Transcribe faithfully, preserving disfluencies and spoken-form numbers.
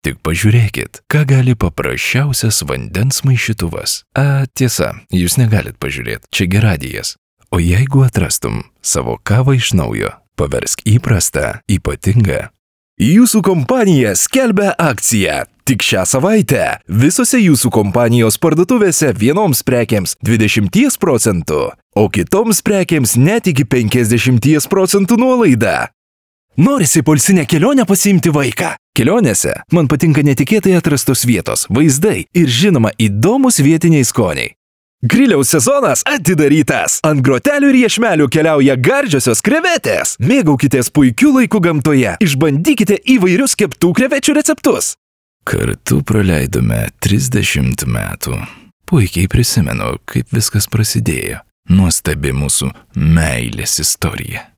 Tik pažiūrėkit, ką gali paprasčiausias vandens maišytuvas. A, tiesa, jūs negalit pažiūrėti, čia gi radijas. O jeigu atrastum savo kavą iš naujo, paversk įprastą, ypatingą. Jūsų kompanija skelbia akciją. Tik šią savaitę visose jūsų kompanijos parduotuvėse vienoms prekėms dvidešimt procentų, o kitoms prekėms net iki penkiasdešimt procentų nuolaida. Norisi poilsinę kelionę pasiimti vaiką. Kelionėse man patinka netikėtai atrastos vietos, vaizdai ir žinoma įdomus vietiniai skoniai. Griliaus sezonas atidarytas. Ant grotelių ir iešmelių keliauja gardžiosios krevetės. Mėgaukitės puikiu laiku gamtoje. Išbandykite įvairius keptų krevečių receptus. Kartu praleidome trisdešimt metų. Puikiai prisimenu, kaip viskas prasidėjo. Nuostabi mūsų meilės istorija.